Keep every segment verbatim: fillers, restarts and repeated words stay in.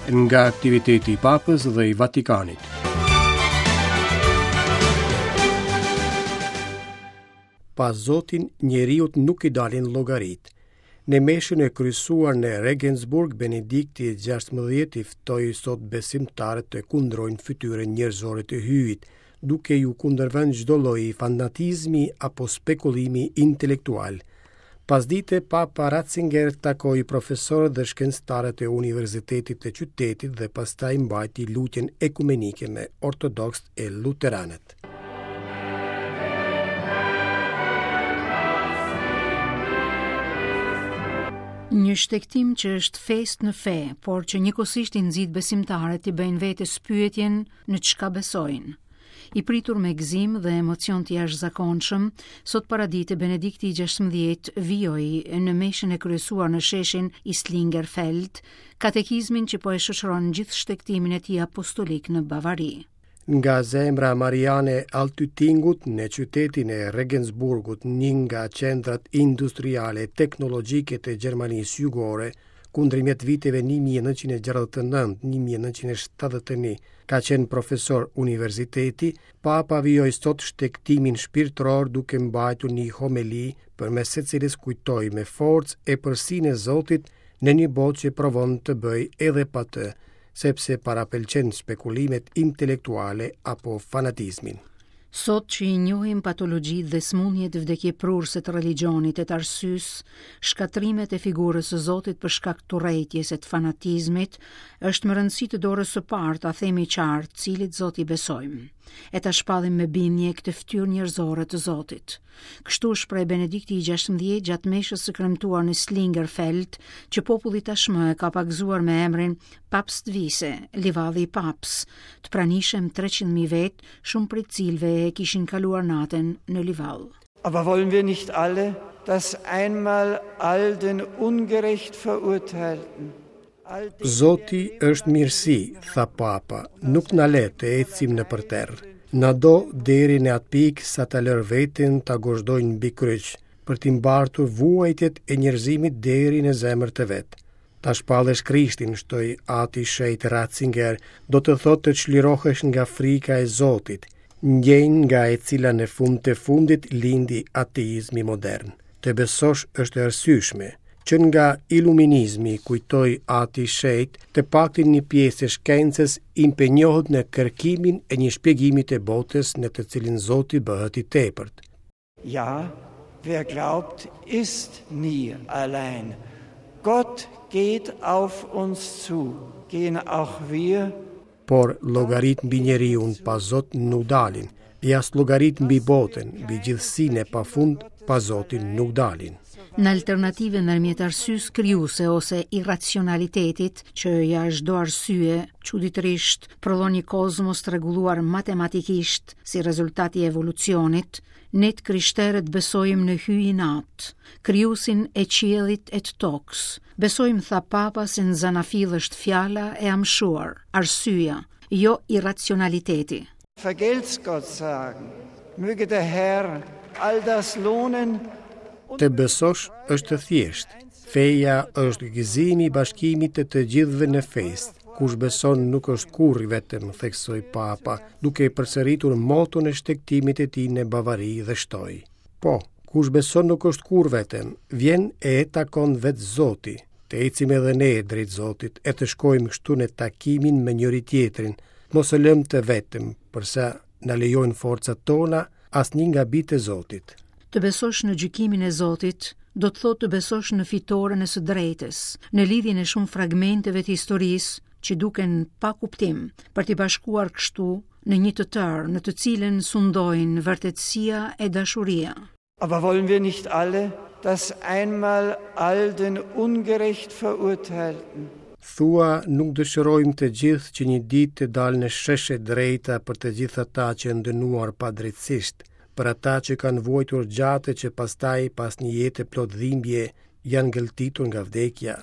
Nga aktiviteti i Papës dhe i Vatikanit. Pa Zotin, njeriut nuk i dalin llogaritë. Në meshën e kryesuar në Regensburg, Benedikti i gjashtëmbëdhjetë i ftoi sot besimtarët të kundrojnë fytyrën njerëzore të Hyjit, duke ju kundërvënë çdo lloj fanatizmi apo spekulimi intelektual. Pasdite, Papa Ratzinger takoi profesorët dhe shkencëtarët e Universitetit të qytetit dhe pastaj mbajti lutjen ekumenike me ortodoksët e luteranët. Një shtegtim që është festë në fe, por që njëkohësisht i nxit besimtarët t'i bëjnë vetes pyetjen në çka besojnë. I pritur me gëzim dhe emocion të jashtëzakonshëm, sot paradite Benedikti i gjashtëmbëdhjetë vijoi në meshën e kryesuar në sheshin Islingerfeld, katekizmin që po e shoqëron gjithë shtegtimin e tij apostolik në Bavari. Nga zemra Mariane Altöttingut në qytetin e Regensburgut, një nga qendrat industriale teknologjike të Gjermanisë Jugore, kundërmjet viteve një mijë e nëntëqind e gjashtëdhjetë e nëntë, një mijë e nëntëqind e shtatëdhjetë e një, ka qenë profesor universiteti, Papa vijoi sot shtegtimin shpirtëror duke mbajtur një homeli përmes së cilës kujtoi me forcë epërsinë e Zotit në një botë që provon të bëjë edhe pa të, sepse parapëlqen spekulimet intelektuale apo fanatizmin. Sot që i njohim patologjitë dhe sëmundjet vdekjeprurëse të religjionit e të arsyes, shkatrimet e figurës së Zotit për shkak të urrejtjes e të fanatizmit, është me rëndësi të dorës së parë ta themi qartë cilit Zot i besojmë, e ta shpallim me bindje këtë fytyrë njerëzore të Zotit. Kështu shpreh Benedikti i gjashtëmbëdhjetë gjatë meshës së kremtuar në Slingerfeld, që populli tashmë e ka pagëzuar me emrin Papstwiese, livadhi i Paps, të pranishëm treqind mijë vetë, shumë prej cilëve e kishin kaluar natën në livadh. Aber wollen wir nicht alle, dass einmal all den ungerecht Verurteilten Zoti është mirësi, tha Papa, nuk na le të ecim nëpër terr. Na do deri në atë pikë sa ta lërë veten ta gozhdojnë mbi kryq, për t'i mbartur vuajtjet e njerëzimit deri në zemër të vet. Ta shpallesh Krishtin, shtoi Ati Shenjt Ratzinger, do të thotë të çlirohesh nga frika e Zotit, ndjenjë nga e cila në fund të fundit lindi ateizmi modern. Të besosh është e arsyeshme. Që nga iluminizmi, kujtoi Ati Shenjt, të paktën një pjesë e shkencës impenjohet në kërkimin e një shpjegimi të botës në të cilin Zoti bëhet i tepërt. Ja, wer glaubt, ist nie allein. Gott geht auf uns zu, gehen auch wir. Por llogarit mbi njeriun pa Zot nuk dalin, e as llogarit mbi botën, mbi gjithësinë e pafund pa Zotin nuk dalin. Në alternative ndërmjet arsyes krijuese ose irracionalitetit, që jashtë çdo arsye, çuditërisht prodhon një kozmos të rregulluar matematikisht si rezultat i evolucionit, ne të krishterët besojmë në Hyjin Atë, krijuesin e qiellit e të tokës. Besojmë, tha Papa, se në zanafillë është fjala e amshuar, arsyeja, jo irracionaliteti. Vergelt's Gott sagen, möge der Herr all das lohnen. Të besosh është e thjeshtë. Feja është gëzimi i bashkimit të të gjithëve në festë. Kush beson nuk është kurrë i vetëm, theksoi Papa, duke përsëritur moton e shtegtimit të tij në Bavari dhe shtoi. Po, kush beson nuk është kurrë vetëm, vjen e e takon vetë Zoti. Të ecim edhe ne drejt Zotit e të shkojmë kështu në takimin me njëri tjetrin, mos e lëmë të vetëm, përsa na lejojnë forcat tona, asnjë nga bijtë e Zotit. Të besosh në gjykimin e Zotit do të thotë të besosh në fitoren e së drejtës, në lidhjen e shumë fragmenteve të historisë që duken pa kuptim, për t'i bashkuar kështu në një të tërë, në të cilën sundojnë vërtetësia e dashuria. Aber wollen wir nicht alle, dass einmal all den ungerecht Verurteilten Thua, nuk dëshirojmë të gjithë që një ditë të dalë në shesh e drejta për të gjithë ata që janë dënuar padrejtësisht, për ata që kanë vuajtur gjatë që pastaj pas një jete plot dhimbje janë gëlltitur nga vdekja.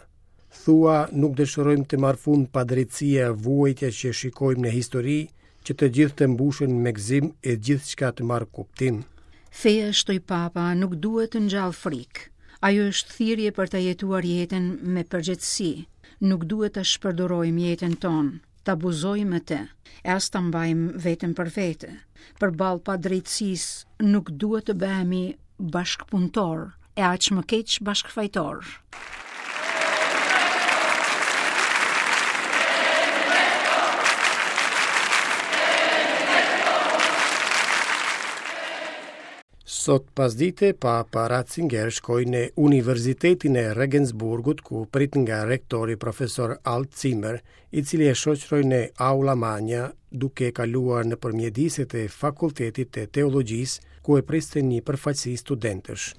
Thua, nuk dëshirojmë të marrë fund padrejtësia e vuajtja që shikojmë në histori, që të gjithë të mbushen me gëzim e gjithçka të marrë kuptim. Feja, shtoi Papa, nuk duhet të ngjallë frikë. Ajo është thirrje për ta jetuar jetën me përgjegjësi. Nuk duhet ta shpërdorojmë jetën tonë, ta abuzojmë me të, e as ta mbajmë veten për vete. Përballë padrejtësisë nuk duhet të bëhemi bashkëpunëtor, e aq më keq bashkëfajtor. Sot pasdite, Papa Ratzinger shkoi në Universitetin e Regensburgut, ku prit nga rektori profesor Alt Zimmer, i cili e shoqëroi në Aula Magna, duke kaluar nëpër mjediset e Fakultetit të Teologjisë, ku e priste një përfaqësi studentësh.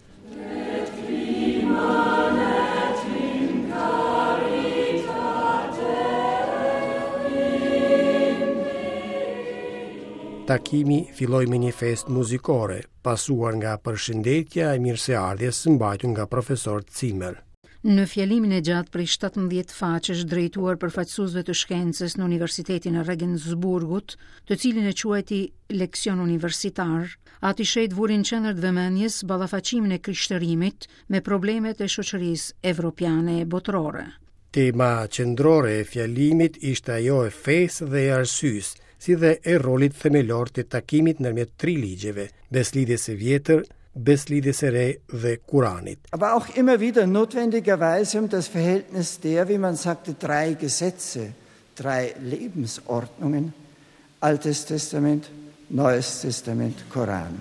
Takimi filloi me një festë muzikore, pasuar nga përshëndetja e mirëseardhjes mbajtur nga profesor Zimmer. Në fjalimin e gjatë prej shtatëmbëdhjetë faqesh drejtuar përfaqësuesve të shkencës në Universitetin e Regensburgut, të cilin e quajti leksion universitar, Ati Shenjt vuri në qendër të vëmendjes ballafaqimin e krishtërimit me problemet e shoqërisë evropiane e botërore. Tema qendrore e fjalimit ishte ajo e fesë dhe e arsyes, si dhe e rolit themelor të takimit ndërmjet tri ligjeve, beslidhjes së vjetër, beslidhjes së re dhe Kuranit. Aber auch immer wieder notwendigerweise um das Verhältnis der, wie man sagte, drei Gesetze, drei Lebensordnungen, Altes Testament, Neues Testament, Koran.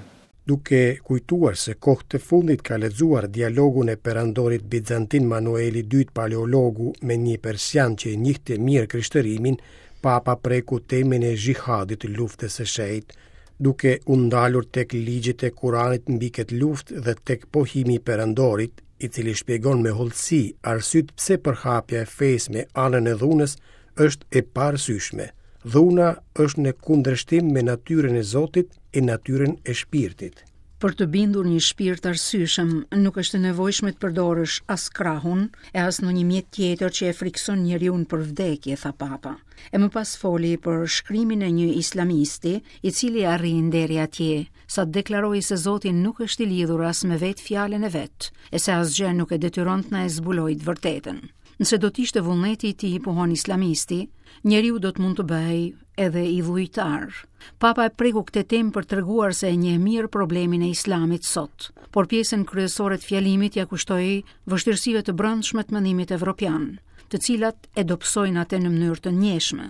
Duke kujtuar se kohë të fundit ka lexuar dialogun e perandorit bizantin Manueli i dytë Paleologu me një persian që e njihte mirë krishtërimin, Papa preku temën e xhihadit, luftës së shenjtë, duke u ndalur tek ligjet e Kuranit mbi këtë luftë dhe tek pohimi i perandorit, i cili shpjegon me hollësi arsyet pse përhapja e fesë me anën e dhunës është e paarsyeshme. Dhuna është në kundërshtim me natyrën e Zotit e natyrën e shpirtit. Për të bindur një shpirt arsyeshëm, nuk është e nevojshme të përdorësh as krahun e as ndonjë mjet tjetër që e frikson njeriun për vdekje, tha Papa. E më pas foli për shkrimin e një islamisti, i cili arrin deri atje, sa deklaroi se Zoti nuk është i lidhur as me vetë fjalën e vet, e se asgjë nuk e detyron të na e zbulojë të vërtetën. Nëse do të ishte vullneti i tij, pohon islamisti, njeriu do të mund të bëhej edhe i dhujtar. Papa e preku këtë temë për treguar se e njeh mirë problemin e islamit sot, por pjesën kryesore të fjalimit ja kushtoi vështirësive të brendshme të mendimit evropian, të cilat e dobësojnë atë në mënyrë të ndjeshme.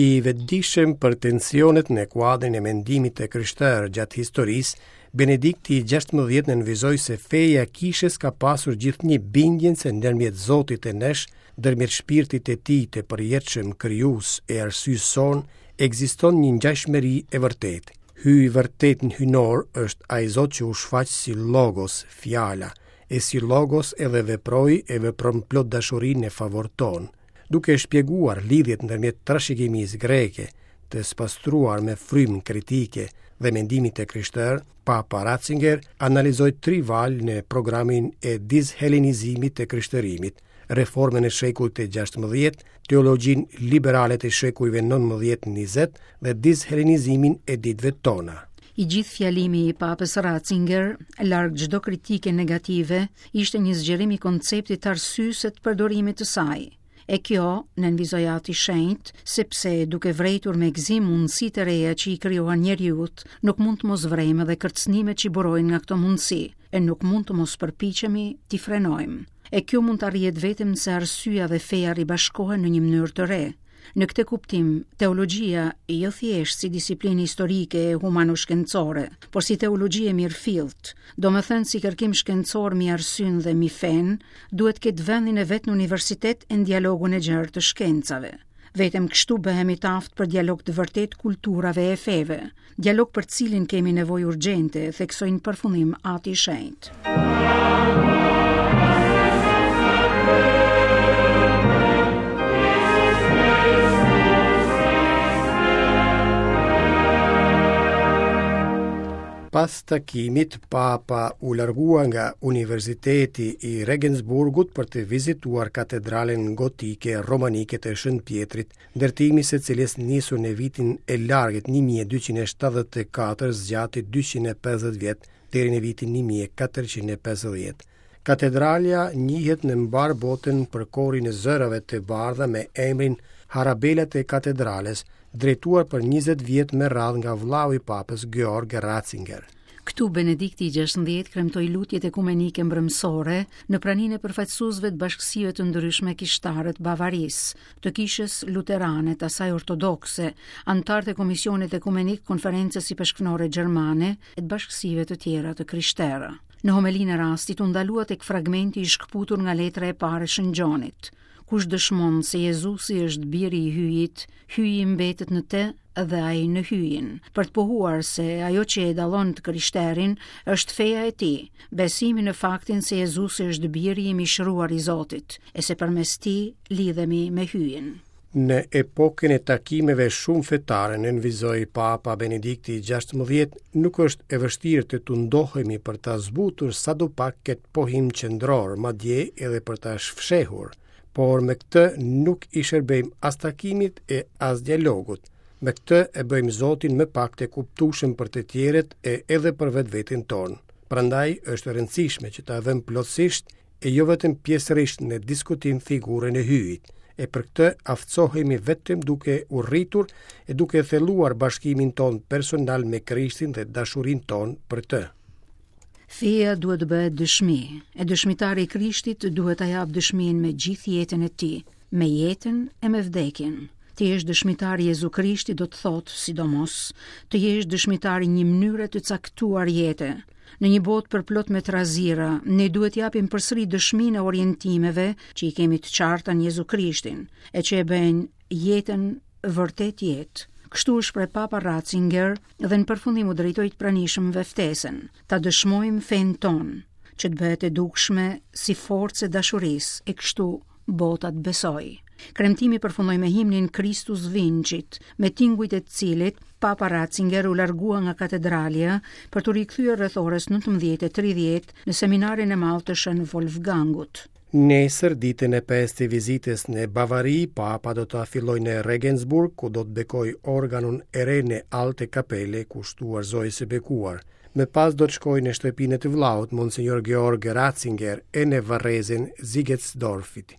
I vetëdijshëm për tensionet në kuadrin e mendimit të krishterë gjatë historisë, Benedikti i gjashtëmbëdhjetë nënvizoi se feja e kishës ka pasur gjithnjë bindjen se ndërmjet Zotit e nesh, ndërmjet shpirtit të tij të përjetshëm krijues e arsyes sonë, ekziston një ngjashmëri e vërtetë. Hyji i vërtet në hyjnor është ai Zot që u shfaq si Logos, fjala, e si Logos edhe veproi e vepron plot dashurinë në favor ton, duke shpjeguar lidhjet ndërmjet trashëgimisë greke, të spastruar me frymë kritike dhe mendimit të krishterë, Papa Ratzinger analizoi tri valë në programin e dishelenizimit të krishtërimit, reformën e shekullit të gjashtëmbëdhjetë, teologjinë liberale të shekujve nëntëmbëdhjetë njëzet dhe dishelenizimin e ditëve tona. I gjithë fjalimi i Papës Ratzinger, larg çdo kritike negative, ishte një zgjerim i konceptit të arsyes e të përdorimit të saj. E kjo, nënvizoi Ati Shenjt, sepse duke vrejtur me gëzim mundësitë e reja që i krijohen njeriut, nuk mund të mos vrejmë edhe kërcënimet që i burojnë nga këto mundësi, e nuk mund të mos përpiqemi t'i frenojmë. E kjo mund të arrihet vetëm nëse arsyeja dhe feja ribashkohen në një mënyrë të re. Në këtë kuptim, teologjia jo thjesht si disiplinë historike e humano-shkencore, por si teologji e mirëfillt, domethënë si kërkim shkencor mbi arsyen dhe mbi fen, duhet ketë vendin e vet në universitet e në dialogun e gjerë të shkencave. Vetëm kështu bëhemi të aftë për dialog të vërtet kulturave e feve, dialog për cilin kemi nevojë urgjente, theksoi në përfundim Ati i Shenjt. Pas takimit, Papa u largua nga Universiteti i Regensburgut për të vizituar katedralen gotike romanike të Shën Pjetrit, ndërtimi së cilës nisur në vitin e largët një mijë e dyqind e shtatëdhjetë e katër zgjati dyqind e pesëdhjetë vjet deri në vitin një mijë e katërqind e pesëdhjetë. Katedralja njihet në mbarë botën për korin e zërave të bardha me emrin Harabelat e Katedrales, drejtuar për njëzet vjet me radhë nga vllau i papës Georg Ratzinger. Këtu Benedikti i gjashtëmbëdhjetë kremtoi lutjet ekumenike mbrëmsore në praninë e përfaqësuesve të bashkësive të ndryshme kishtare të Bavarisë, të kishës luterane, të asaj ortodokse, anëtarët e Komisionit Ekumenik Konferencës Ipeshkvnore Gjermane e të bashkësive të tjera të krishtera. Në homelinë e rastit u ndalua tek fragmenti i shkëputur nga letra e parë e Shën Gjonit. Kush dëshmon se Jezusi është biri i Hyjit, Hyji mbetet në të dhe ai në Hyjin, për të pohuar se ajo që e dallon të krishterin është feja e tij, besimi në faktin se Jezusi është biri i mishëruar i Zotit, e se përmes tij lidhemi me Hyjin. Në epokën e takimeve shumë fetare, nënvizoi Papa Benedikti i gjashtëmbëdhjetë, nuk është e vështirë të tundohemi për ta zbutur sado pak këtë pohim qendror, madje edhe për ta shfshehur, por me këtë nuk i shërbejmë as takimit e as dialogut. Me këtë e bëjmë Zotin më pak të kuptueshëm për të tjerët e edhe për vetveten tonë. Prandaj është e rëndësishme që ta vëmë plotësisht e jo vetëm pjesërisht në diskutim figurën e Hyjit. E për këtë aftësohemi vetëm duke u rritur e duke thelluar bashkimin ton personal me Krishtin dhe dashurinë tonë për të. Feja duhet të bëhet dëshmi, e dëshmitari i Krishtit duhet ta japë dëshminë me gjithë jetën e tij, me jetën e me vdekjen. Të jesh dëshmitar i Jezu Krishtit do të thotë, sidomos, të jesh dëshmitar i një mënyre të caktuar jete. Në një botë përplot me trazira, ne duhet japim përsëri dëshminë e orientimeve që i kemi të qarta në Jezu Krishtin, e që e bëjnë jetën vërtet jetë. Kështu u shpreh Papa Ratzinger dhe në përfundim u drejtoi të pranishmëve ftesën, ta dëshmojmë fenë tonë, që të bëhet e dukshme si forcë e dashurisë, e kështu bota të besojë. Kremtimi përfundoi me himnin Christus Vincit, me tingujt e të cilit Papa Ratzinger u largua nga katedralja për t'u rikthyer rreth orës nëntëmbëdhjetë e tridhjetë në seminarin e madh të Shën Wolfgangut. Nesër, ditën e pestë të vizitës në Bavari, Papa do ta fillojë në Regensburg, ku do të bekojë organon e re në Alte Kapele, kushtuar Zojës së Bekuar. Më pas do të shkojë në shtëpinë e të vllaut, Monsignor Georg Ratzinger, e në varrezën Ziegetsdorfit.